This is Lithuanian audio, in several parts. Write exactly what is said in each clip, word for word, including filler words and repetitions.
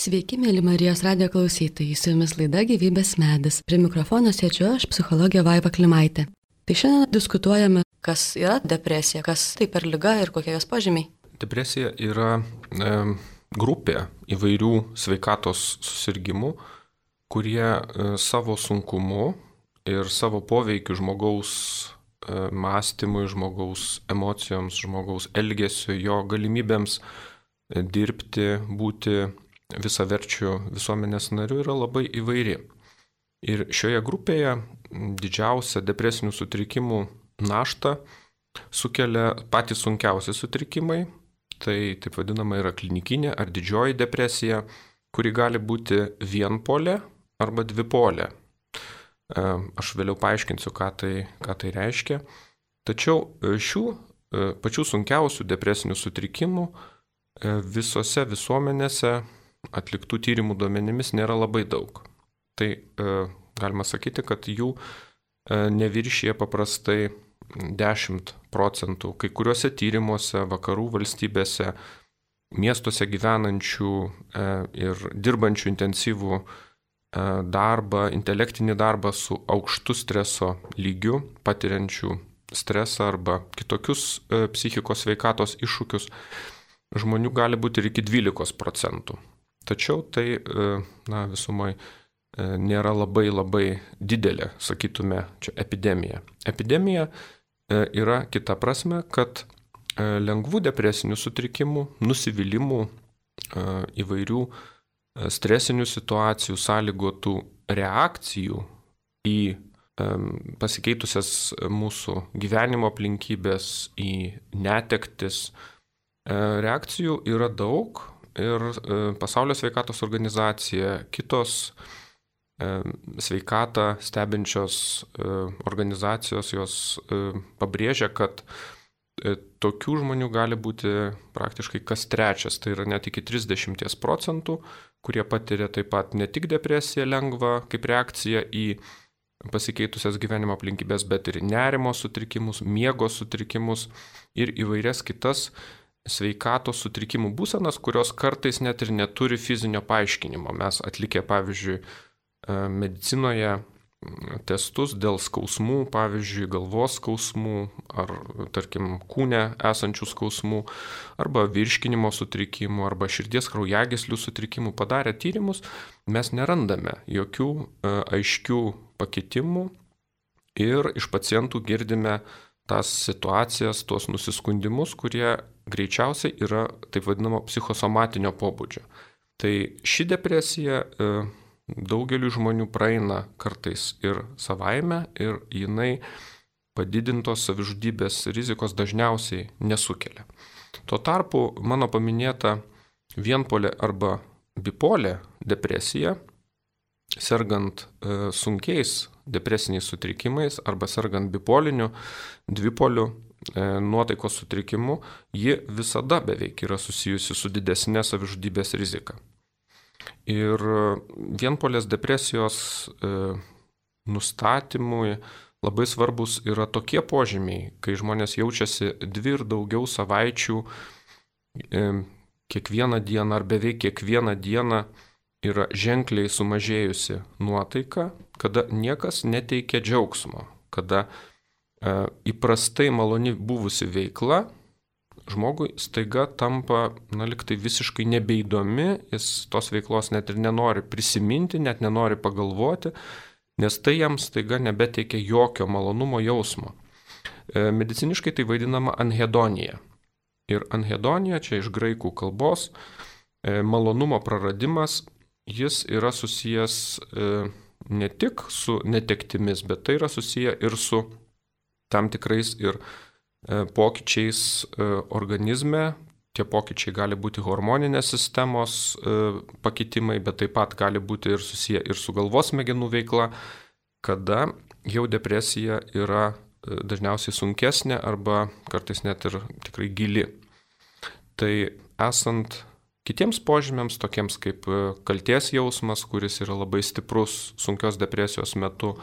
Sveiki, mėly Marijos radijo klausytojai, su jumis laida Gyvybės medis. Prie mikrofono sėdžiu aš, psichologė Vaiva Klimaitė. Tai šiandien diskutuojame, kas yra depresija, kas tai per liga ir kokie jos požymiai. Depresija yra e, grupė įvairių sveikatos susirgymų, kurie e, savo sunkumu ir savo poveikiu žmogaus e, mąstymui, žmogaus emocijoms, žmogaus elgesiu, jo galimybėms e, dirbti, būti visaverčių visuomenės narių yra labai įvairi. Ir šioje grupėje didžiausia depresinių sutrikimų naštą sukelia patys sunkiausi sutrikimai. Tai taip vadinama yra klinikinė ar didžioji depresija, kuri gali būti vienpolė arba dvipolė. Aš vėliau paaiškinsiu, ką tai, ką tai reiškia. Tačiau šių pačių sunkiausių depresinių sutrikimų visose visuomenėse atliktų tyrimų duomenimis nėra labai daug. Tai e, galima sakyti, kad jų e, neviršyje paprastai dešimt procentų. Kai kuriuose tyrimuose, vakarų valstybėse, miestuose gyvenančių e, ir dirbančių intensyvų e, darbą, intelektinį darbą su aukštu streso lygiu, patiriančių stresą arba kitokius e, psichikos sveikatos iššūkius, žmonių gali būti ir iki dvylikos procentų. Tačiau tai na, visumai nėra labai labai didelė, sakytume, čia epidemija. Epidemija yra kita prasme, kad lengvų depresinių sutrikimų, nusivylimų, įvairių stresinių situacijų, sąlygotų reakcijų į pasikeitusias mūsų gyvenimo aplinkybės, į netektis. Reakcijų yra daug. Ir Pasaulio sveikatos organizacija, kitos sveikatą stebinčios organizacijos, jos pabrėžia, kad tokių žmonių gali būti praktiškai kas trečias, tai yra net iki trisdešimt procentų, kurie patiria taip pat ne tik depresiją lengvą kaip reakcija į pasikeitusias gyvenimo aplinkybės, bet ir nerimo sutrikimus, miego sutrikimus ir įvairias kitas sveikatos sutrikimų būsenas, kurios kartais net ir neturi fizinio paaiškinimo. Mes atlikę, pavyzdžiui, medicinoje testus dėl skausmų, pavyzdžiui, galvos skausmų ar, tarkim, kūne esančių skausmų, arba virškinimo sutrikimų, arba širdies kraujagyslių sutrikimų padarę tyrimus, mes nerandame jokių aiškių pakitimų ir iš pacientų girdime tas situacijas, tuos nusiskundimus, kurie greičiausiai yra taip vadinamo psichosomatinio pobūdžio. Tai ši depresija e, daugeliu žmonių praeina kartais ir savaime ir jinai padidintos savižudybės rizikos dažniausiai nesukelia. Tuo tarpu mano paminėta vienpolė arba bipolė depresija, sergant e, sunkiais depresiniais sutrikimais arba sergant bipoliniu, dvipoliu e, nuotaikos sutrikimu, ji visada beveik yra susijusi su didesnė savižudybės rizika. Ir vienpolės depresijos e, nustatymui labai svarbus yra tokie požymiai, kai žmonės jaučiasi dvi ir daugiau savaičių e, kiekvieną dieną ar beveik kiekvieną dieną yra ženkliai sumažėjusi nuotaika, kada niekas neteikia džiaugsmo, kada e, įprastai maloni buvusi veikla žmogui staiga tampa, na, liktai visiškai nebeįdomi, jis tos veiklos net ir nenori prisiminti, net nenori pagalvoti, nes tai jam staiga nebeteikia jokio malonumo jausmo. E, mediciniškai tai vadinama anhedonija. Ir anhedonija, čia iš graikų kalbos, e, malonumo praradimas, jis yra susijęs e, ne tik su netektimis, bet tai yra susiję ir su tam tikrais ir e, pokyčiais e, organizme. Tie pokyčiai gali būti hormoninės sistemos e, pakitimai, bet taip pat gali būti ir susiję ir su galvos smegenų veikla, kada jau depresija yra e, dažniausiai sunkesnė arba kartais net ir tikrai gili. Tai esant kitiems požymiams, tokiems kaip kaltės jausmas, kuris yra labai stiprus sunkios depresijos metu,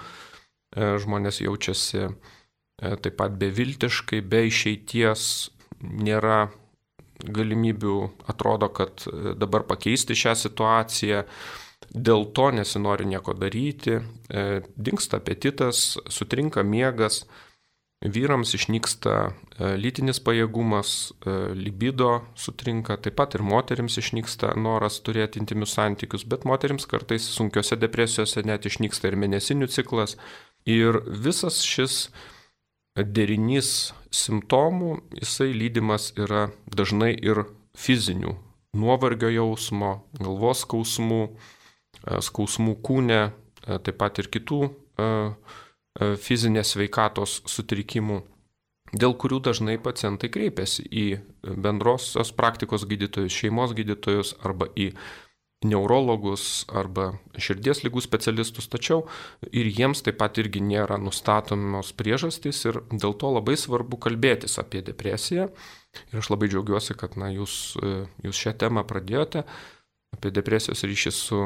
žmonės jaučiasi taip pat beviltiškai, be išeities, nėra galimybių atrodo, kad dabar pakeisti šią situaciją, dėl to nesinori nieko daryti, dingsta apetitas, sutrinka miegas, vyrams išnyksta lytinis pajėgumas, libido sutrinka, taip pat ir moterims išnyksta noras turėti intymius santykius, bet moterims kartais sunkiose depresijose net išnyksta ir mėnesinių ciklas. Ir visas šis derinys simptomų, jisai lydimas yra dažnai ir fizinių nuovargio jausmo, galvos skausmų, skausmų kūne, taip pat ir kitų fizinės sveikatos sutrikimų, dėl kurių dažnai pacientai kreipiasi į bendrosios praktikos gydytojus, šeimos gydytojus arba į neurologus arba širdies ligų specialistus, tačiau ir jiems taip pat irgi nėra nustatomos priežastys ir dėl to labai svarbu kalbėtis apie depresiją. Ir aš labai džiaugiuosi, kad na, jūs, jūs šią temą pradėjote, apie depresijos ryšį su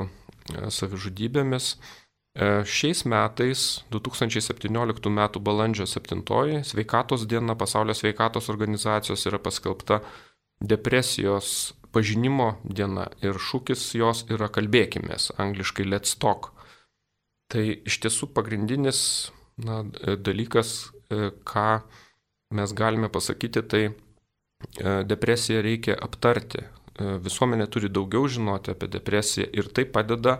savižudybėmis. Šiais metais, du tūkstančiai septynioliktų metų balandžio septintoji, Sveikatos diena, Pasaulio sveikatos organizacijos yra paskelbta depresijos pažinimo diena ir šūkis jos yra kalbėkimės, angliškai let's talk. Tai iš tiesų pagrindinis na, dalykas, ką mes galime pasakyti, tai depresiją reikia aptarti. Visuomenė turi daugiau žinoti apie depresiją ir tai padeda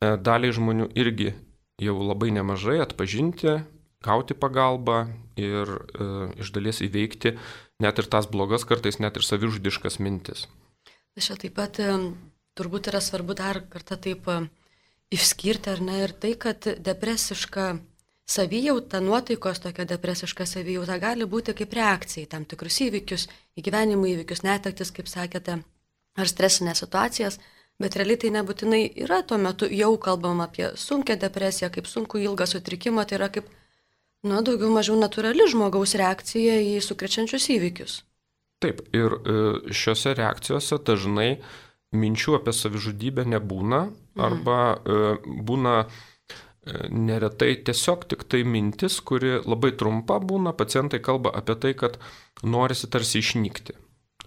daliai žmonių irgi jau labai nemažai atpažinti, gauti pagalbą ir e, iš dalies įveikti net ir tas blogas, kartais net ir savižudiškas mintis. Čia taip pat turbūt yra svarbu dar kartą taip išskirti, ar ne, ir tai, kad depresiška savijauta, nuotaikos tokia depresiška savijauta gali būti kaip reakcija į tam tikrus įvykius, į gyvenimo įvykius, netektis, kaip sakėte, ar stresinės situacijas, bet realiai tai nebūtinai yra tuo metu jau kalbama apie sunkią depresiją, kaip sunku ilgą sutrikimą, tai yra kaip, nu, daugiau mažiau natūrali žmogaus reakcija į sukrečiančius įvykius. Taip, ir šiuose reakcijose dažnai minčių apie savižudybę nebūna, arba mhm. būna neretai tiesiog tik tai mintis, kuri labai trumpa būna, pacientai kalba apie tai, kad norisi tarsi išnykti.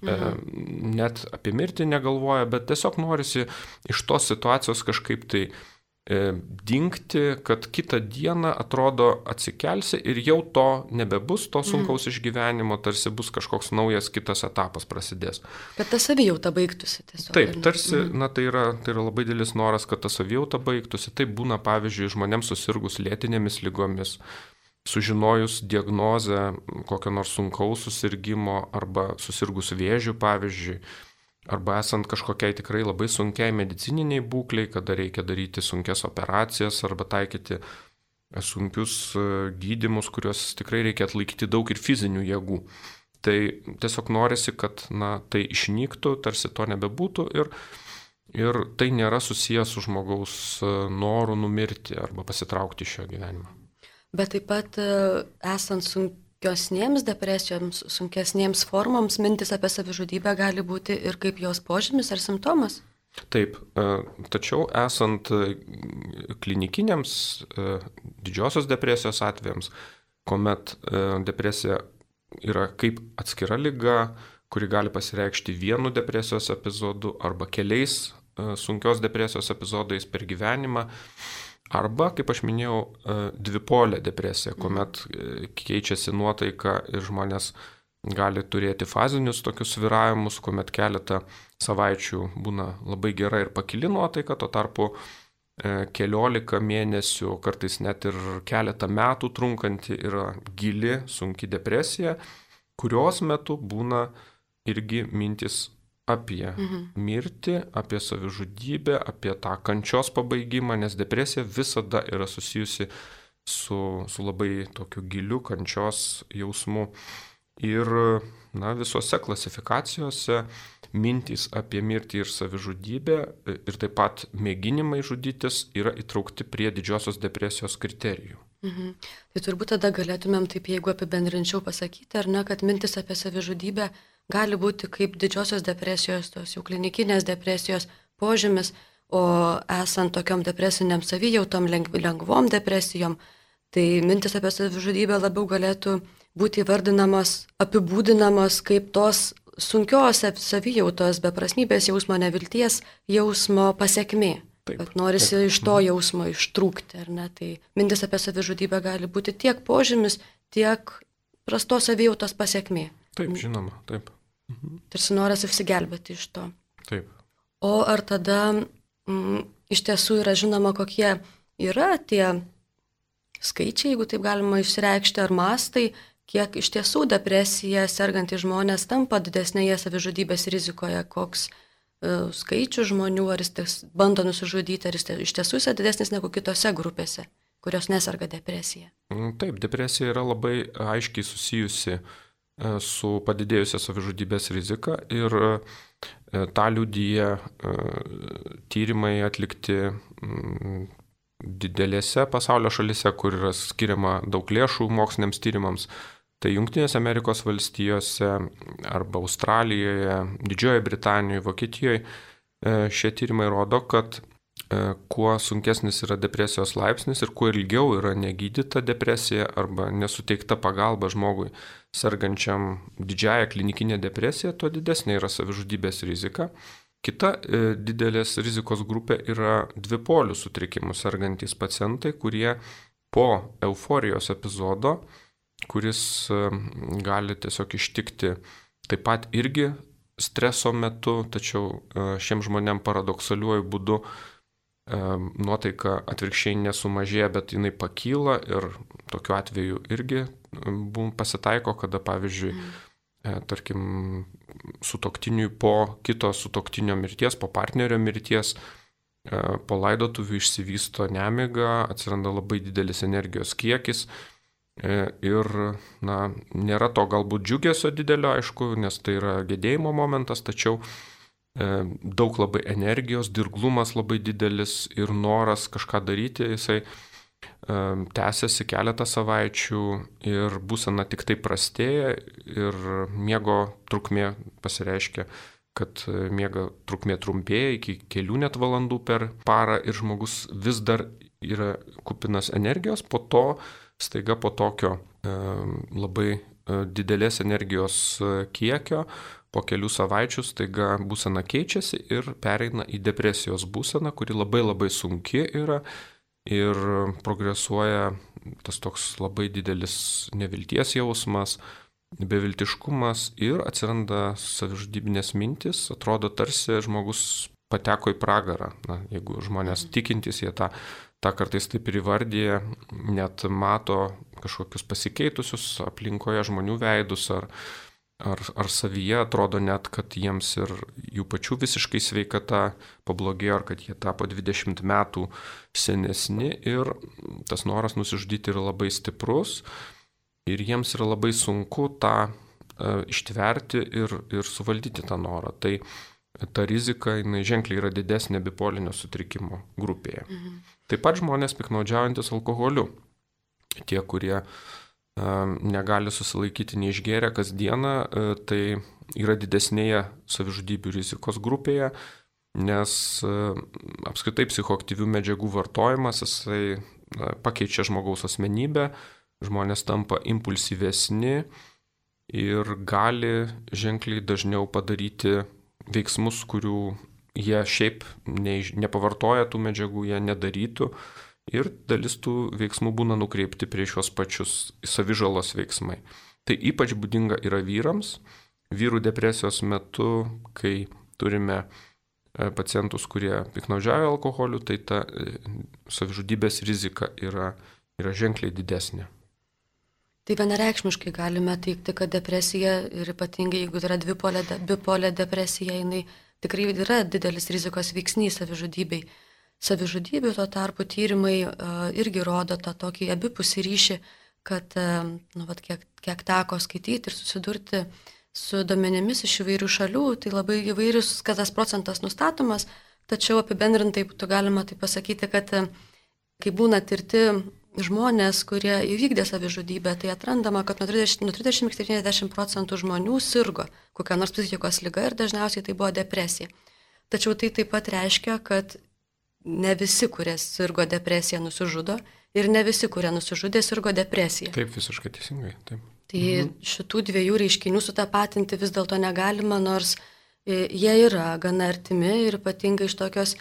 Mhm. Net apie mirtį negalvoja, bet tiesiog norisi iš tos situacijos kažkaip tai dingti, kad kitą dieną atrodo atsikelsi ir jau to nebebus, to sunkaus mm. išgyvenimo, tarsi bus kažkoks naujas kitas etapas prasidės. Kad ta savijauta baigtųsi tiesiog. Taip, tarsi, mm. na, tai yra, tai yra labai didelis noras, kad ta savijauta baigtųsi. Taip būna, pavyzdžiui, žmonėms susirgus lėtinėmis lygomis, sužinojus diagnozę kokio nors sunkaus susirgimo arba susirgus vėžiu, pavyzdžiui, arba esant kažkokiai tikrai labai sunkiai medicininiai būkliai, kada reikia daryti sunkias operacijas arba taikyti sunkius gydymus, kuriuos tikrai reikia atlaikyti daug ir fizinių jėgų. Tai tiesiog norisi, kad na, tai išnyktų, tarsi to nebebūtų ir, ir tai nėra susijęs su žmogaus noru numirti arba pasitraukti iš šio gyvenimo. Bet taip pat esant sunkiosnėms depresijoms, sunkesnėms formoms, mintis apie savižudybę gali būti ir kaip jos požymis ar simptomas? Taip, tačiau esant klinikiniams didžiosios depresijos atvejams, kuomet depresija yra kaip atskira liga, kuri gali pasireikšti vienu depresijos epizodu arba keliais sunkios depresijos epizodais per gyvenimą, arba, kaip aš minėjau, dvipolė depresija, kuomet keičiasi nuotaika ir žmonės gali turėti fazinius tokius svyravimus, kuomet keletą savaičių būna labai gera ir pakili nuotaika, tuo tarpu keliolika mėnesių, kartais net ir keletą metų trunkanti yra gili, sunki depresija, kurios metu būna irgi mintis apie mhm. mirtį, apie savižudybę, apie tą kančios pabaigimą, nes depresija visada yra susijusi su, su labai tokiu giliu kančios jausmu. Ir na, visose klasifikacijose mintys apie mirtį ir savižudybę ir taip pat mėginimai žudytis yra įtraukti prie didžiosios depresijos kriterijų. Mhm. Tai turbūt tada galėtumėm taip, jeigu apibendrinčiau pasakyti, ar ne, kad mintis apie savižudybę gali būti kaip didžiosios depresijos, tos jau klinikinės depresijos požymis, o esant tokiom depresiniam savijautom, lengvom depresijom, tai mintis apie savižudybę labiau galėtų būti įvardinamos, apibūdinamos kaip tos sunkios savijautos, beprasmybės jausmo, nevilties jausmo pasiekmė. Taip, kad norisi taip. iš to jausmo ištrūkti, ar ne? Tai mintis apie savižudybę gali būti tiek požymis, tiek prastos savijautos pasiekmė. Taip, žinoma, taip. Mhm. Tarsi noras išsigelbėti iš to. Taip. O ar tada mm, iš tiesų yra žinoma, kokie yra tie skaičiai, jeigu taip galima išreikšti, ar mastai, kiek iš tiesų depresija sergantys žmonės tampa didesnėje savižudybės rizikoje, koks uh, skaičius žmonių, ar jis ties, bando nusižudyti, ar jis ties, iš tiesų yra didesnis negu kitose grupėse, kurios neserga depresija. Taip, depresija yra labai aiškiai susijusi su padidėjusia savižudybės rizika ir tą liudyja tyrimai atlikti didelėse pasaulio šalise, kur yra skiriama daug lėšų moksliniams tyrimams. Tai Jungtinėse Amerikos valstijose arba Australijoje, Didžiojoje Britanijoje, Vokietijoje šie tyrimai rodo, kad kuo sunkesnis yra depresijos laipsnis ir kuo ilgiau yra negydyta depresija arba nesuteikta pagalba žmogui sergančiam didžiąją klinikinę depresiją, tuo didesnė yra savižudybės rizika. Kita e, didelės rizikos grupė yra dvipolių sutrikimų sergantys pacientai, kurie po euforijos epizodo, kuris e, gali tiesiog ištikti taip pat irgi streso metu, tačiau e, šiems žmonėms paradoksaliuoju būdu nuotaika atvirkščiai nesumažėja, bet jinai pakyla ir tokiu atveju irgi pasitaiko, kada pavyzdžiui, mm. tarkim, sutuoktiniui po kito sutuoktinio mirties, po partnerio mirties, po laidotuvių išsivysto nemiga, atsiranda labai didelis energijos kiekis ir na, nėra to galbūt džiugesio didelio, aišku, nes tai yra gedėjimo momentas, tačiau daug labai energijos, dirglumas labai didelis ir noras kažką daryti, jisai tęsiasi keletą savaičių ir būsena tik tai prastėja ir miego trukmė pasireiškia, kad miego trukmė trumpėja iki kelių net valandų per parą ir žmogus vis dar yra kupinas energijos, po to staiga po tokio labai didelės energijos kiekio, po kelių savaičių staiga būsena keičiasi ir pereina į depresijos būseną, kuri labai labai sunki yra ir progresuoja tas toks labai didelis nevilties jausmas, beviltiškumas ir atsiranda savižudybinės mintis, atrodo tarsi žmogus pateko į pragarą. Na, jeigu žmonės tikintys, jie tą, tą kartais taip ir įvardyja, net mato kažkokius pasikeitusius aplinkoje žmonių veidus ar Ar, ar savyje atrodo net, kad jiems ir jų pačių visiškai sveikata pablogėjo, ar kad jie tapo dvidešimt metų senesni ir tas noras nusižudyti yra labai stiprus ir jiems yra labai sunku tą e, ištverti ir, ir suvaldyti tą norą. Tai ta rizika, jinai ženkliai yra didesnė bipolinio sutrikimo grupėje. Mhm. Taip pat žmonės piknaudžiaujantis alkoholiu. Tie, kurie negali susilaikyti neišgėrę kasdieną, tai yra didesnėje savižudybių rizikos grupėje, nes apskritai psichoaktyvių medžiagų vartojimas, jisai pakeičia žmogaus asmenybę, žmonės tampa impulsyvesni ir gali ženkliai dažniau padaryti veiksmus, kurių jie šiaip nepavartoja tų medžiagų, jie nedarytų. Ir dalis tų veiksmų būna nukreipti prieš juos pačius savižalos veiksmai. Tai ypač būdinga yra vyrams. Vyrų depresijos metu, kai turime pacientus, kurie piknaudžiauja alkoholiu, tai ta savižudybės rizika yra, yra ženkliai didesnė. Tai vienareikšmiškai galime teikti, kad depresija ir ypatingai jeigu yra dvipolė, bipolė depresija, jinai tikrai yra didelis rizikos veiksnys savižudybei. Savižudybių tuo tarpu tyrimai uh, irgi rodo tą tokį abipusį ryšį, kad uh, nu, vat, kiek, kiek teko skaityti ir susidurti su duomenimis iš įvairių šalių, tai labai įvairius, kad tas procentas nustatomas, tačiau apibendrintai būtų galima tai pasakyti, kad uh, kai būna tirti žmonės, kurie įvykdė savižudybę, tai atrandama, kad nuo trisdešimt iki septyniasdešimt procentų žmonių sirgo kokia nors psichikos liga ir dažniausiai tai buvo depresija. Tačiau tai taip pat reiškia, kad ne visi, kurie sirgo depresiją, nusižudo ir ne visi, kurie nusižudė, sirgo depresiją. Taip, visiškai teisingai. Taip. Tai mhm. šitų dviejų reiškinių sutapatinti vis dėlto negalima, nors jie yra gana artimi ir ypatingai iš tokios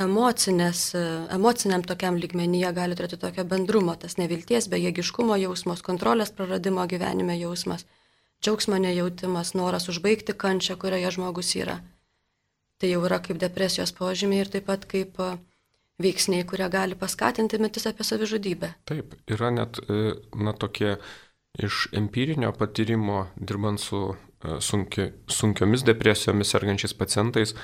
emocinės, emociniam tokiam lygmenyje gali turėti tokio bendrumo, tas nevilties, bejėgiškumo jausmas, kontrolės praradimo gyvenime jausmas, džiaugsmo nejautimas, noras užbaigti kančią, kurioje žmogus yra. Tai jau yra kaip depresijos požymiai ir taip pat kaip veiksniai, kurie gali paskatinti mintis apie savižudybę. Taip, yra net na, tokie iš empirinio patyrimo, dirbant su sunki, sunkiomis depresijomis sergančiais pacientais,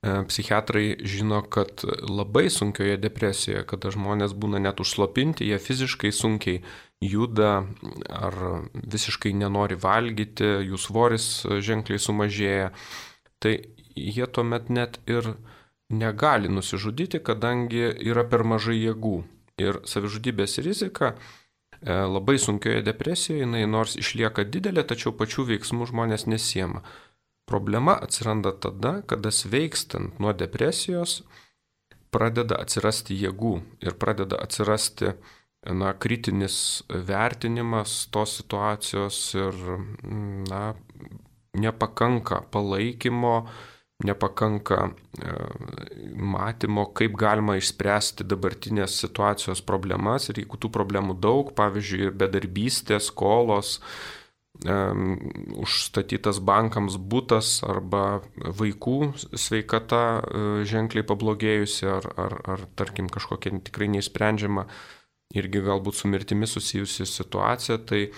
psichiatrai žino, kad labai sunkioje depresijoje, kada žmonės būna net užslopinti, jie fiziškai sunkiai juda ar visiškai nenori valgyti, jų svoris ženkliai sumažėja, tai jie tuomet net ir negali nusižudyti, kadangi yra per mažai jėgų. Ir savižudybės rizika labai sunkioje depresijoje, jinai nors išlieka didelė, tačiau pačių veiksmų žmonės nesiema. Problema atsiranda tada, kada sveikstant nuo depresijos pradeda atsirasti jėgų ir pradeda atsirasti na, kritinis vertinimas tos situacijos ir na, nepakanka palaikymo, nepakanka e, matymo, kaip galima išspręsti dabartinės situacijos problemas ir jeigu tų problemų daug, pavyzdžiui, bedarbystė, skolos, Um, užstatytas bankams butas arba vaikų sveikata uh, ženkliai pablogėjusi ar, ar, ar tarkim kažkokia tikrai neišsprendžiama irgi galbūt su mirtimi susijusi situacija, tai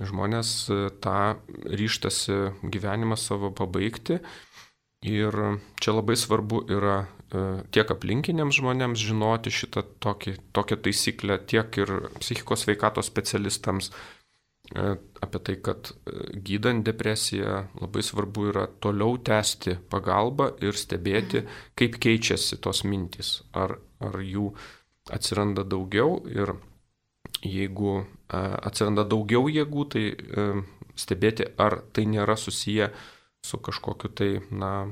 žmonės uh, tą ryžtasi gyvenimą savo pabaigti ir čia labai svarbu yra uh, tiek aplinkiniams žmonėms žinoti šitą tokį, tokią taisyklę, tiek ir psichikos sveikatos specialistams apie tai, kad gydant depresiją labai svarbu yra toliau tęsti pagalbą ir stebėti, kaip keičiasi tos mintys, ar, ar jų atsiranda daugiau ir jeigu atsiranda daugiau jėgų, tai stebėti, ar tai nėra susiję su kažkokiu tai na,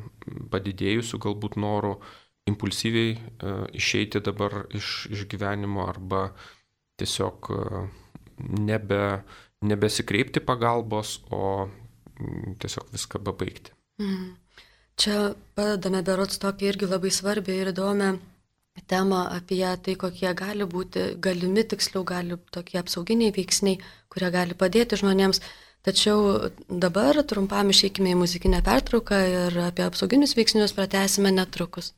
padidėjusiu galbūt noru impulsyviai išeiti dabar iš, iš gyvenimo arba tiesiog nebe nebesikreipti pagalbos, o tiesiog viską pabaigti. Mm. Čia padedame berods tokį irgi labai svarbią ir įdomią temą apie tai, kokie gali būti, galimi tiksliau, gali tokie apsauginiai veiksniai, kurie gali padėti žmonėms. Tačiau dabar trumpam išeikime į muzikinę pertrauką ir apie apsauginius veiksnius pratęsime netrukus.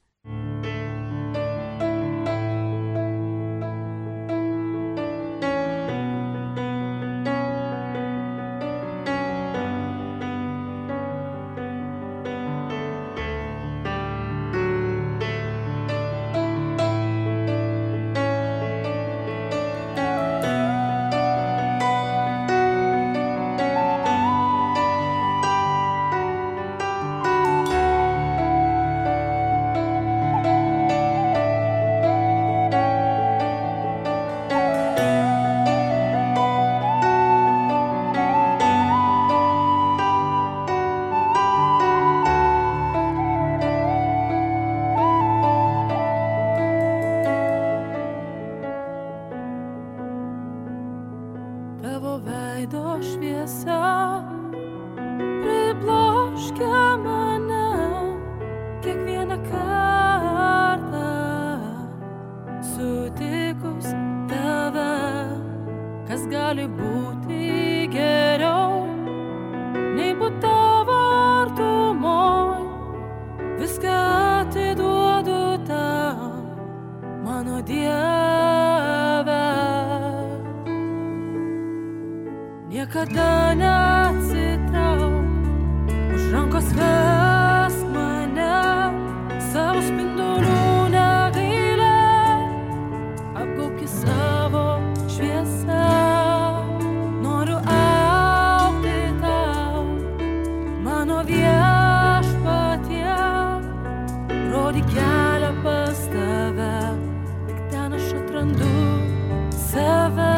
Niekada neatsitrauk, už rankos vesk mane, savo spindulių negailėk, apgaubki savo šviesą. Noriu augti tau, mano viešpatie, rodyk kelią pas tave, tik ten aš atrandu save.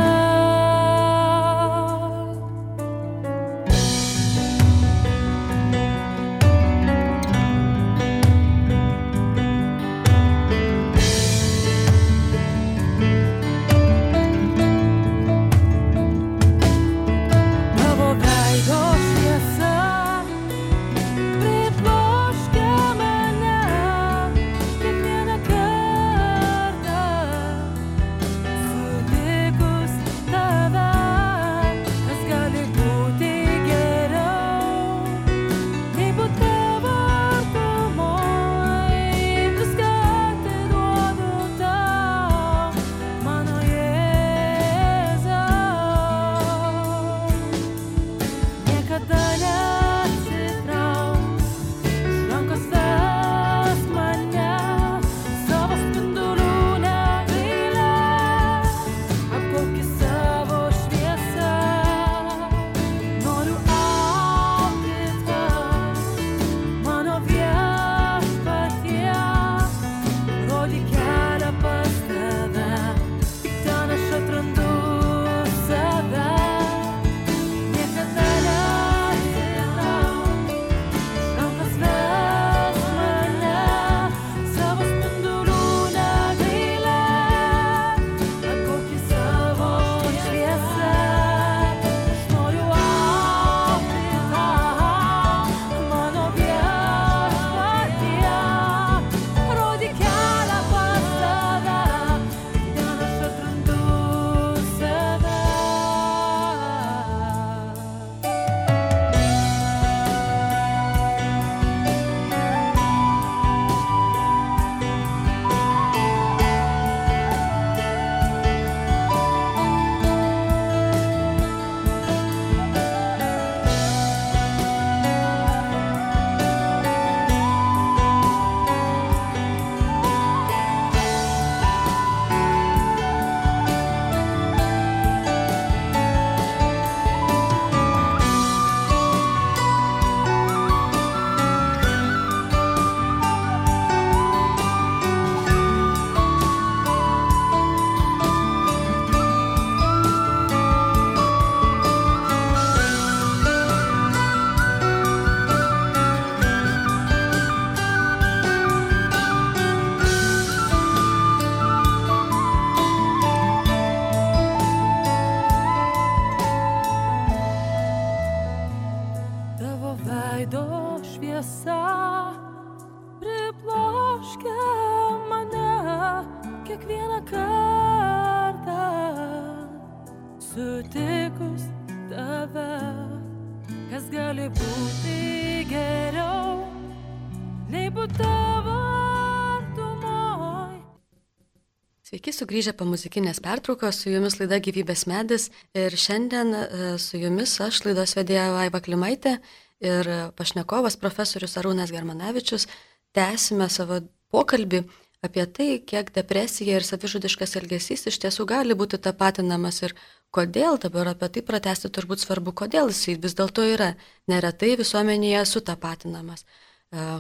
gali būti geriau, nei būt tavo artumoj. Sveiki sugrįžę po muzikinės pertraukos, su jumis laida Gyvybės medis ir šiandien su jumis aš laidos vedėja Vaiva Klimaitė ir pašnekovas profesorius Arūnas Germanavičius. Tęsime savo pokalbį apie tai, kiek depresija ir savižudiškas elgesys iš tiesų gali būti tapatinamas ir kodėl, dabar apie tai pratęsti turbūt svarbu, kodėl jis vis dėlto yra neretai visuomenėje sutapatinamas.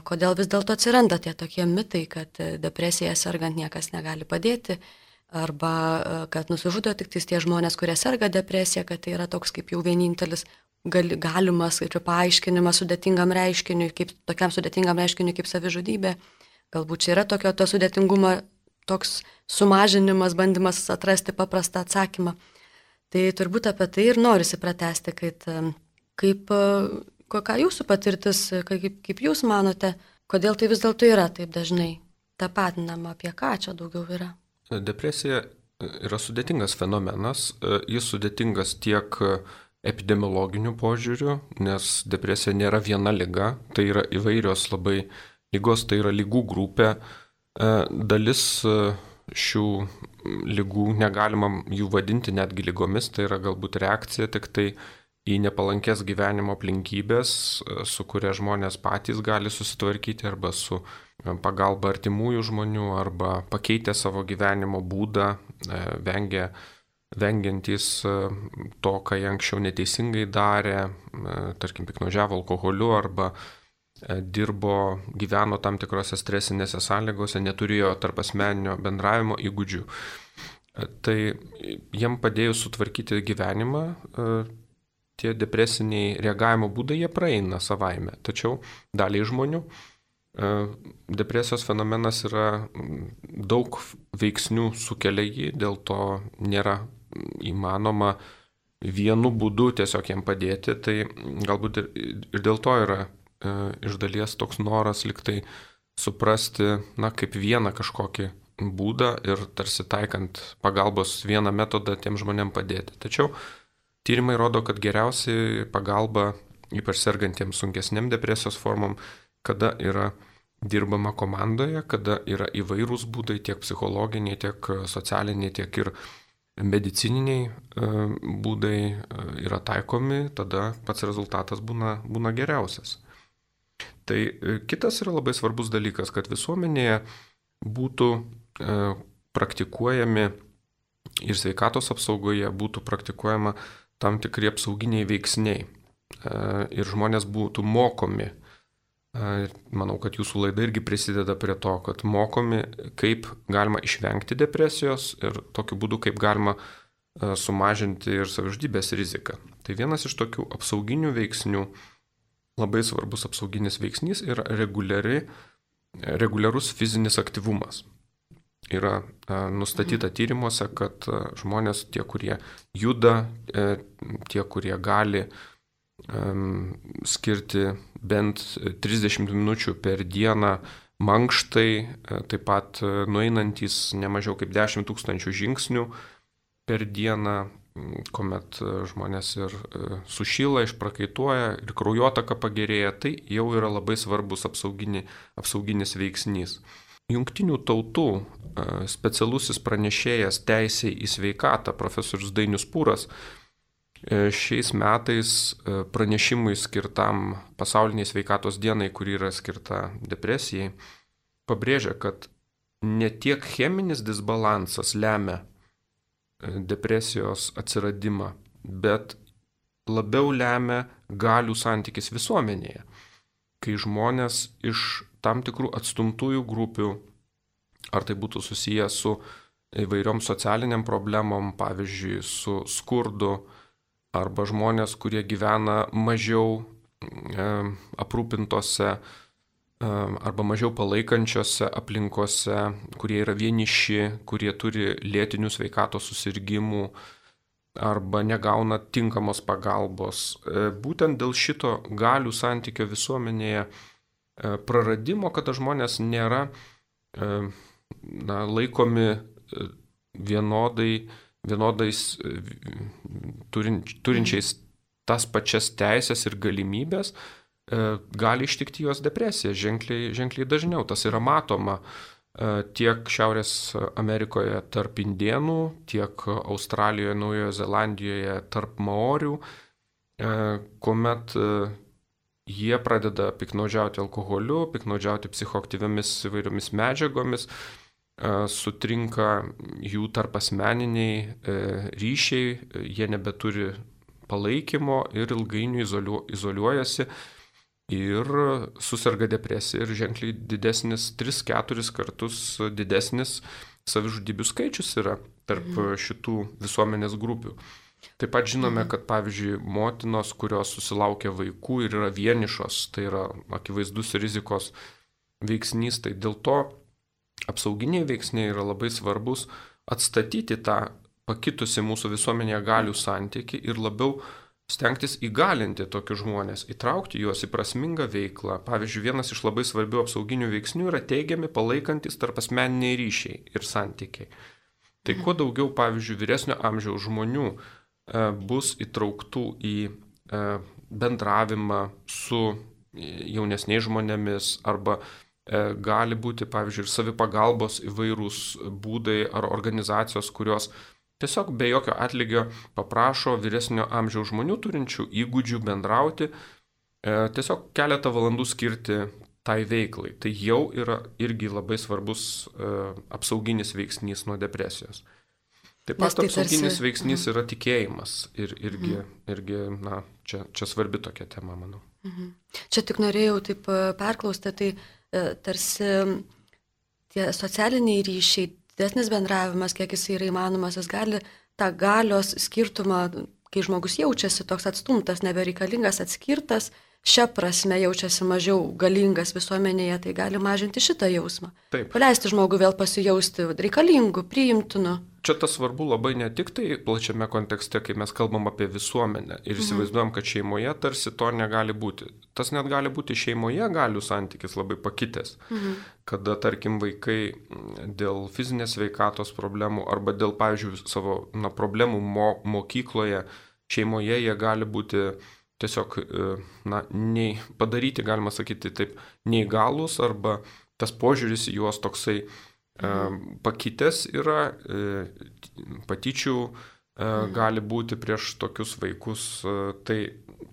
Kodėl vis dėlto atsiranda tie tokie mitai, kad depresija sergant niekas negali padėti, arba kad nusižudo tik tie žmonės, kurie serga depresija, kad tai yra toks kaip jau vienintelis gali, galimas kaip paaiškinimas sudėtingam reiškiniui, kaip tokiam sudėtingam reiškiniui kaip savižudybė. Galbūt čia yra tokio to sudėtingumo toks sumažinimas, bandymas atrasti paprastą atsakymą. Tai turbūt apie tai ir norisi pratęsti, kad kaip... Kokia jūsų patirtis, kaip, kaip jūs manote, kodėl tai vis dėlto yra taip dažnai tapatinama, apie ką čia daugiau yra? Depresija yra sudėtingas fenomenas, jis sudėtingas tiek epidemiologiniu požiūriu, nes depresija nėra viena liga, tai yra įvairios labai lygos, tai yra lygų grupė. Dalis šių lygų negalima jų vadinti netgi lygomis, tai yra galbūt reakcija tik tai į nepalankės gyvenimo aplinkybės, su kuria žmonės patys gali susitvarkyti arba su pagalba artimųjų žmonių arba pakeitę savo gyvenimo būdą, vengia, vengiantys to, ką jie anksčiau neteisingai darė, tarkim, piknaudžiavo alkoholiu arba dirbo, gyveno tam tikrose stresinėse sąlygose, neturėjo tarp asmeninio bendravimo įgūdžių. Tai jiem padėjus sutvarkyti gyvenimą, tie depresiniai reagavimo būdai jie praeina savaime. Tačiau daliai žmonių depresijos fenomenas yra daug veiksnių sukelia jį, dėl to nėra įmanoma vienu būdu tiesiog jiem padėti. Tai galbūt ir, ir dėl to yra iš dalies toks noras liktai suprasti, na, kaip vieną kažkokį būdą ir tarsi taikant pagalbos vieną metodą tiem žmonėm padėti. Tačiau tyrimai rodo, kad geriausiai pagalba, ypač sergantiems sunkesniam depresijos formom, kada yra dirbama komandoje, kada yra įvairūs būdai, tiek psichologiniai, tiek socialiniai, tiek ir medicininiai būdai yra taikomi, tada pats rezultatas būna, būna geriausias. Tai kitas yra labai svarbus dalykas, kad visuomenėje būtų praktikuojami ir sveikatos apsaugoje būtų praktikuojama tam tikri apsauginiai veiksniai ir žmonės būtų mokomi. Manau, kad jūsų laida irgi prisideda prie to, kad mokomi, kaip galima išvengti depresijos ir tokiu būdu, kaip galima sumažinti ir savižudybės riziką. Tai vienas iš tokių apsauginių veiksnių, labai svarbus apsauginis veiksnys yra reguliari, reguliarus fizinis aktyvumas. Yra nustatyta tyrimuose, kad žmonės, tie, kurie juda, tie, kurie gali skirti bent trisdešimt minučių per dieną mankštai, taip pat nueinantys nemažiau kaip dešimt tūkstančių žingsnių per dieną, kuomet žmonės ir sušyla, išprakaituoja ir kraujotaka pagerėja, tai jau yra labai svarbus apsaugini, apsauginis veiksnys. Jungtinių tautų specialusis pranešėjas teisei į sveikatą, profesorius Dainius Pūras, šiais metais pranešimui skirtam pasauliniai sveikatos dienai, kuri yra skirta depresijai, pabrėžia, kad ne tiek cheminis disbalansas lemia depresijos atsiradimą, bet labiau lemia galių santykis visuomenėje, kai žmonės iš tam tikrų atstumtųjų grupių, ar tai būtų susiję su įvairiom socialiniam problemom, pavyzdžiui, su skurdu, arba žmonės, kurie gyvena mažiau e, aprūpintose e, arba mažiau palaikančiose aplinkose, kurie yra vieniši, kurie turi lėtinių sveikatos susirgimų arba negauna tinkamos pagalbos. E, būtent dėl šito galių santykio visuomenėje praradimo, kada žmonės nėra na, laikomi vienodai, vienodais turin, turinčiais tas pačias teisės ir galimybės, gali ištikti juos depresija ženkliai, ženkliai dažniau. Tas yra matoma tiek Šiaurės Amerikoje tarp indėnų, tiek Australijoje, Naujojo Zelandijoje tarp maorių, kuomet jie pradeda piknaudžiauti alkoholiu, piknaudžiauti psichoaktyviamis įvairiomis medžiagomis, sutrinka jų tarpasmeniniai ryšiai, jie nebeturi palaikymo ir ilgainiui izoliu, izoliuojasi ir susirga depresija ir ženkliai didesnis, tris keturis kartus didesnis savižudybių skaičius yra tarp šitų visuomenės grupių. Taip pat žinome, kad pavyzdžiui, motinos, kurios susilaukia vaikų ir yra vienišos, tai yra akivaizdus rizikos veiksnys, tai dėl to apsauginiai veiksniai yra labai svarbus atstatyti tą pakitusi mūsų visuomenėje galių santykį ir labiau stengtis įgalinti tokius žmonės, įtraukti juos į prasmingą veiklą. Pavyzdžiui, vienas iš labai svarbių apsauginių veiksnių yra teigiami palaikantis tarpasmeniniai ryšiai ir santykiai. Tai kuo daugiau, pavyzdžiui, vyresnio amžiaus žmonių e, bus įtrauktų į e, bendravimą su jaunesniais žmonėmis arba e, gali būti, pavyzdžiui, ir savipagalbos įvairūs būdai ar organizacijos, kurios tiesiog be jokio atlygio paprašo vyresnio amžiaus žmonių turinčių įgūdžių bendrauti, tiesiog keletą valandų skirti tai veiklai. Tai jau yra irgi labai svarbus apsauginis veiksnys nuo depresijos. Taip pat tai apsauginis tarsi... veiksnys mhm. yra tikėjimas ir irgi, mhm. irgi na, čia, čia svarbi tokia tema, manau. Mhm. Čia tik norėjau taip perklausti, tai tarsi tie socialiniai ryšiai, didesnis bendravimas, kiek jis yra įmanomas, jis gali tą galios skirtumą, kai žmogus jaučiasi toks atstumtas, nebereikalingas, atskirtas, šią prasme jaučiasi mažiau galingas visuomenėje, tai gali mažinti šitą jausmą. Taip. Paleisti žmogų vėl pasijausti reikalingu, priimtinu. Čia tas svarbu labai ne tik tai plačiame kontekste, kai mes kalbam apie visuomenę ir įsivaizduojam, kad šeimoje tarsi to negali būti. Tas net gali būti šeimoje galių santykis labai pakitęs, mhm. kada, tarkim, vaikai dėl fizinės sveikatos problemų arba dėl, pavyzdžiui, savo na, problemų mo, mokykloje, šeimoje jie gali būti tiesiog na, nei, padaryti, galima sakyti taip, neįgalus arba tas požiūris į juos toksai Mhm. pakitęs yra, patyčių mhm. gali būti prieš tokius vaikus, tai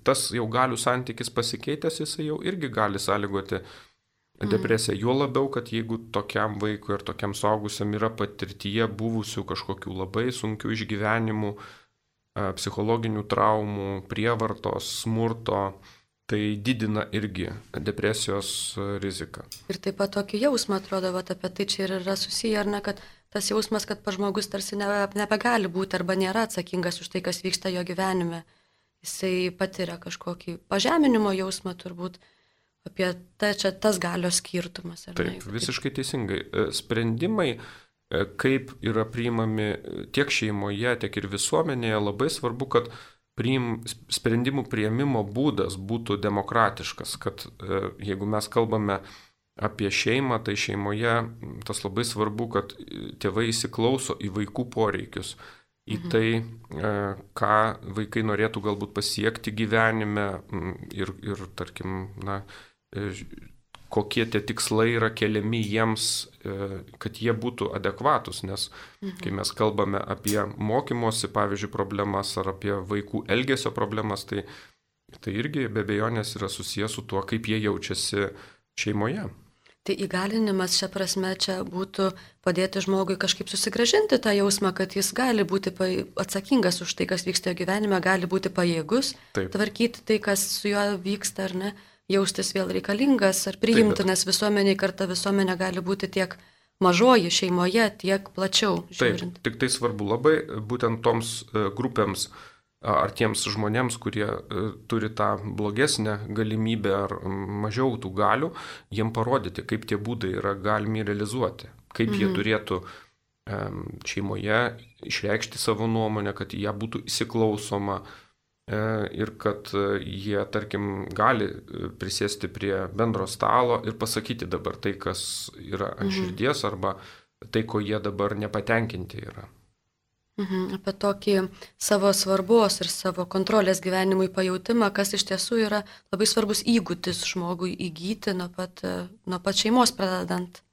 tas jau galių santykis pasikeitęs, jisai jau irgi gali sąlygoti mhm. depresiją. Juo labiau, kad jeigu tokiam vaikui ir tokiam suaugusiam yra patirtyje buvusių kažkokių labai sunkių išgyvenimų, psichologinių traumų, prievartos, smurto, tai didina irgi depresijos riziką. Ir taip pat tokį jausmą atrodo, vat, apie tai čia ir yra susiję, ar ne, kad tas jausmas, kad žmogus tarsi ne, nebegali būti arba nėra atsakingas už tai, kas vyksta jo gyvenime. Jisai patiria kažkokį pažeminimo jausmą turbūt, apie tai čia tas galios skirtumas. Ar taip, ne? visiškai teisingai. Sprendimai, kaip yra priimami tiek šeimoje, tiek ir visuomenėje, labai svarbu, kad Priim, sprendimų priėmimo būdas būtų demokratiškas, kad e, jeigu mes kalbame apie šeimą, tai šeimoje tas labai svarbu, kad tėvai įsiklauso į vaikų poreikius, į mhm. tai, e, ką vaikai norėtų galbūt pasiekti gyvenime ir, ir tarkim, na, e, kokie tie tikslai yra keliami jiems, kad jie būtų adekvatus, nes mhm. kai mes kalbame apie mokymosi, pavyzdžiui, problemas ar apie vaikų elgesio problemas, tai, tai irgi be abejonės yra susijęs su tuo, kaip jie jaučiasi šeimoje. Tai įgalinimas šią prasme čia būtų padėti žmogui kažkaip susigrąžinti tą jausmą, kad jis gali būti atsakingas už tai, kas vyksta jo gyvenime, gali būti pajėgus, Taip. tvarkyti tai, kas su juo vyksta ar ne. Jaustis vėl reikalingas ar priimtinas visuomeniai, kartą visuomenė gali būti tiek mažoji šeimoje, tiek plačiau žiūrint. Taip, tik tai svarbu labai būtent toms grupėms ar tiems žmonėms, kurie turi tą blogesnę galimybę ar mažiau tų galių, jiem parodyti, kaip tie būdai yra galimi realizuoti, kaip mhm. jie turėtų šeimoje išreikšti savo nuomonę, kad ją būtų įsiklausoma, ir kad jie, tarkim, gali prisėsti prie bendro stalo ir pasakyti dabar tai, kas yra ant širdies, arba tai, ko jie dabar nepatenkinti yra. Mhm, apie tokį savo svarbos ir savo kontrolės gyvenimui pajautimą, kas iš tiesų yra labai svarbus įgūdis žmogui įgyti nuo pat, nuo pat šeimos pradedant.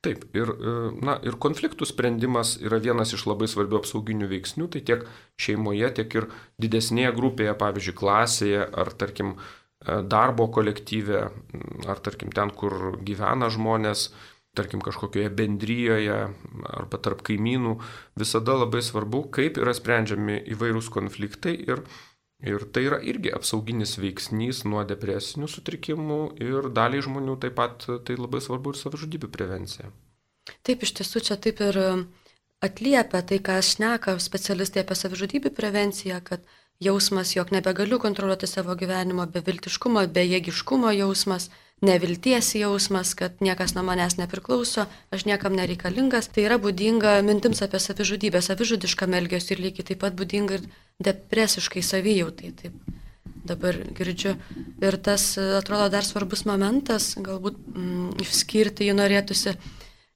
Taip, ir, na, ir konfliktų sprendimas yra vienas iš labai svarbių apsauginių veiksnių, tai tiek šeimoje, tiek ir didesnėje grupėje, pavyzdžiui, klasėje, ar tarkim darbo kolektyve, ar tarkim ten, kur gyvena žmonės, tarkim kažkokioje bendryjoje arba tarp kaimynų, visada labai svarbu, kaip yra sprendžiami įvairūs konfliktai ir, ir tai yra irgi apsauginis veiksnys nuo depresinių sutrikimų ir daliai žmonių taip pat tai labai svarbu ir savižudybių prevencija. Taip, iš tiesų čia taip ir atliepia tai, ką šneka specialistai apie savižudybių prevenciją, kad jausmas, jog nebegaliu kontroliuoti savo gyvenimo, beviltiškumo, bejėgiškumo jausmas, nevilties jausmas, kad niekas nuo manęs nepriklauso, aš niekam nereikalingas, tai yra būdinga mintims apie savižudybę, savižudiškam elgesiu ir lygiai taip pat būdinga ir depresiškai savijautai. Taip dabar girdžiu. Ir tas atrodo dar svarbus momentas, galbūt mm, išskirti jį norėtųsi,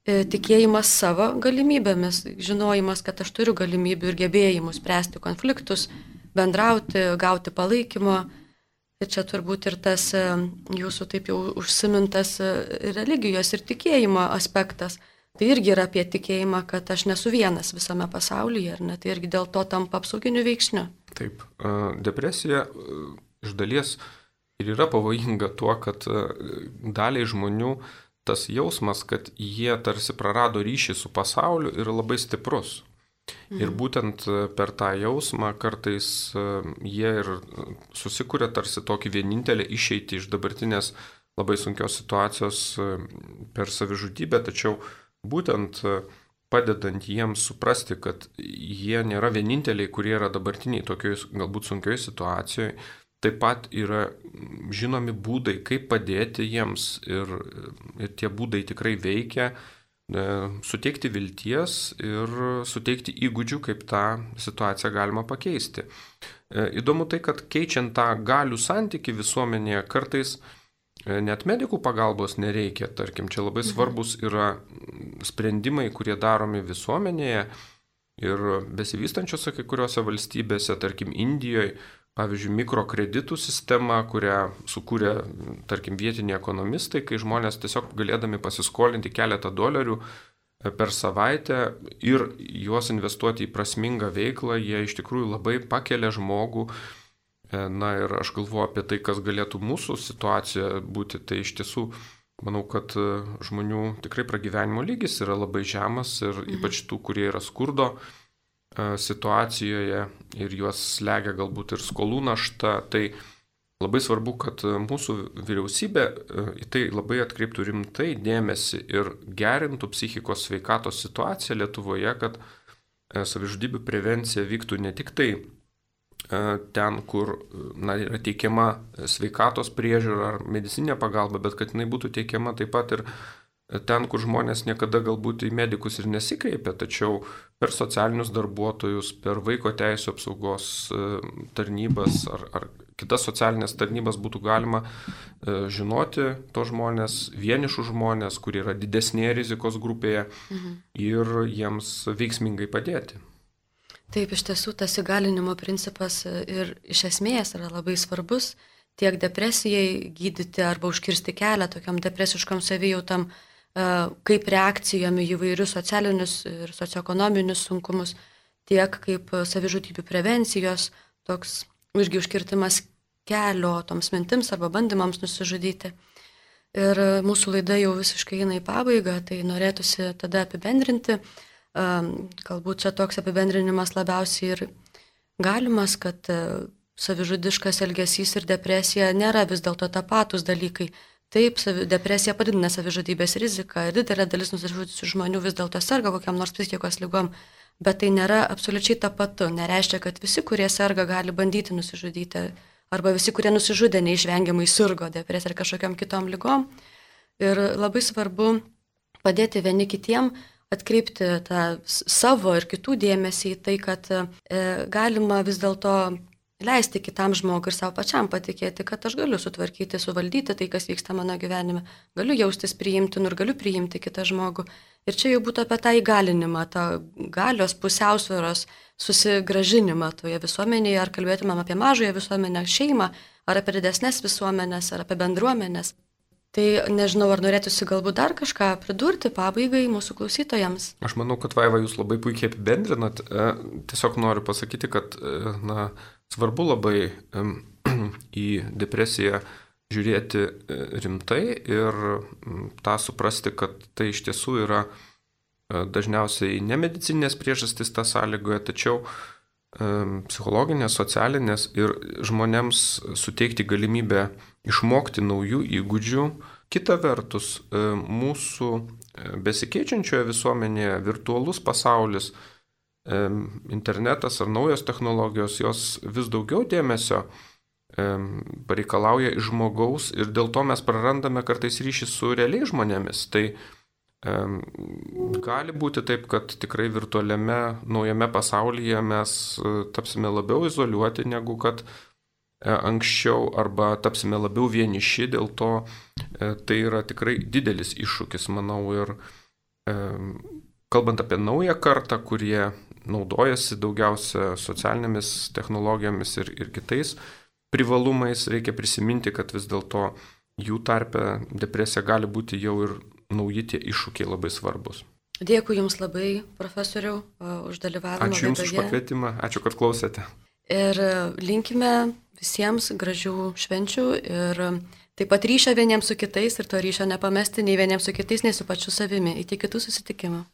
e, tikėjimas savo galimybėmis, žinojimas, kad aš turiu galimybių ir gebėjimų spręsti konfliktus, bendrauti, gauti palaikymo. Ir čia turbūt ir tas jūsų taip jau užsimintas religijos ir tikėjimo aspektas. Tai irgi yra apie tikėjimą, kad aš nesu vienas visame pasaulyje, ar ne? Tai irgi dėl to tampa apsauginiu veiksniu. Taip, depresija iš dalies ir yra pavojinga tuo, kad daliai žmonių tas jausmas, kad jie tarsi prarado ryšį su pasauliu, yra labai stiprus. Ir būtent per tą jausmą kartais jie ir susikuria tarsi tokį vienintelį išeitį iš dabartinės labai sunkios situacijos per savižudybę, tačiau būtent padedant jiems suprasti, kad jie nėra vieninteliai, kurie yra dabartiniai tokioj galbūt sunkioj situacijoje, taip pat yra žinomi būdai, kaip padėti jiems ir, ir tie būdai tikrai veikia. Suteikti vilties ir suteikti įgūdžių, kaip tą situaciją galima pakeisti. Įdomu tai, kad keičiant tą galių santyki visuomenėje, kartais net medikų pagalbos nereikia. Tarkim, čia labai svarbus yra sprendimai, kurie daromi visuomenėje ir besivystančiose kai kuriuose valstybėse, tarkim Indijoje, pavyzdžiui, mikrokreditų sistema, kurią sukūrė, tarkim, vietiniai ekonomistai, kai žmonės tiesiog galėdami pasiskolinti keletą dolerių per savaitę ir juos investuoti į prasmingą veiklą, jie iš tikrųjų labai pakelia žmogų. Na ir aš galvoju apie tai, kas galėtų mūsų situacija būti, tai iš tiesų manau, kad žmonių tikrai pragyvenimo lygis yra labai žemas ir ypač tų, kurie yra skurdo situacijoje ir juos slegia galbūt ir skolų našta, tai labai svarbu, kad mūsų vyriausybė į tai labai atkreiptų rimtai dėmesį ir gerintų psichikos sveikatos situaciją Lietuvoje, kad savižudybių prevencija vyktų ne tik tai ten, kur na, yra teikiama sveikatos priežiūra ar medicininė pagalba, bet kad jinai būtų teikiama taip pat ir ten, kur žmonės niekada galbūt į medikus ir nesikreipia, tačiau per socialinius darbuotojus, per vaiko teisų apsaugos tarnybas ar, ar kitas socialinės tarnybas būtų galima žinoti to žmonės, vienišų žmonės, kurie yra didesnėje rizikos grupėje mhm. ir jiems veiksmingai padėti. Taip, iš tiesų tas įgalinimo principas ir iš esmės yra labai svarbus tiek depresijai gydyti arba užkirsti kelią tokiam depresiškam savijautam, kaip reakcijom į įvairius socialinius ir socioekonominius sunkumus, tiek kaip savižudybių prevencijos, toks irgi užkirtimas kelio toms mintims arba bandymams nusižudyti. Ir mūsų laida jau visiškai eina į pabaigą, tai norėtųsi tada apibendrinti. Galbūt čia toks apibendrinimas labiausiai ir galimas, kad savižudiškas elgesys ir depresija nėra vis dėlto tapatus dalykai. Taip, depresija padidina savižudybės riziką ir didelė dalis nusižudžiusių žmonių vis dėlto serga kokiam nors psichikos ligom, bet tai nėra absoliučiai tapatu. Nereiškia, kad visi, kurie serga, gali bandyti nusižudyti, arba visi, kurie nusižudė, neišvengiamai sirgo depresija ar kažkokiam kitom ligom. Ir labai svarbu padėti vieni kitiem, atkreipti tą savo ir kitų dėmesį į tai, kad e, galima vis dėlto leisti kitam žmogui ir savo pačiam patikėti, kad aš galiu sutvarkyti, suvaldyti tai, kas vyksta mano gyvenime, galiu jaustis priimtinu ir galiu priimti kitą žmogų. Ir čia jau būtų apie tą įgalinimą, tą galios pusiausvėros susigražinimą toje visuomenėje, ar kalbėtumėm apie mažąją visuomenę, šeimą, ar apie didesnės visuomenės, ar apie bendruomenės. Tai nežinau, ar norėtųsi galbūt dar kažką pridurti pabaigai mūsų klausytojams. Aš manau, kad Vaiva jūs labai puikiai apibendrinat. Tiesiog noriu pasakyti, kad na, svarbu labai į depresiją žiūrėti rimtai ir tą suprasti, kad tai iš tiesų yra dažniausiai nemedicinės priežastys tą sąlygoje, tačiau psichologinės, socialinės ir žmonėms suteikti galimybę išmokti naujų įgūdžių. Kita vertus, mūsų besikeičiančioje visuomenėje virtualus pasaulis, internetas ar naujos technologijos, jos vis daugiau dėmesio pareikalauja iš žmogaus ir dėl to mes prarandame kartais ryšį su realiais žmonėmis. Tai gali būti taip, kad tikrai virtualiame naujame pasaulyje mes tapsime labiau izoliuoti negu kad anksčiau arba tapsime labiau vieniši, dėl to tai yra tikrai didelis iššūkis, manau, ir kalbant apie naują kartą, kurie naudojasi daugiausia socialinėmis technologijomis ir, ir kitais privalumais, reikia prisiminti, kad vis dėlto jų tarpe depresija gali būti jau ir nauji tie iššūkiai labai svarbus. Dėkui Jums labai, profesoriau, už dalyvavimą. Ačiū Jums už pakvietimą, ačiū, kad klausėte. Ir linkime visiems gražių švenčių ir taip pat ryšio vieniems su kitais ir to ryšio nepamesti nei vieniems su kitais, nei su pačiu savimi. Iki kitų susitikimų.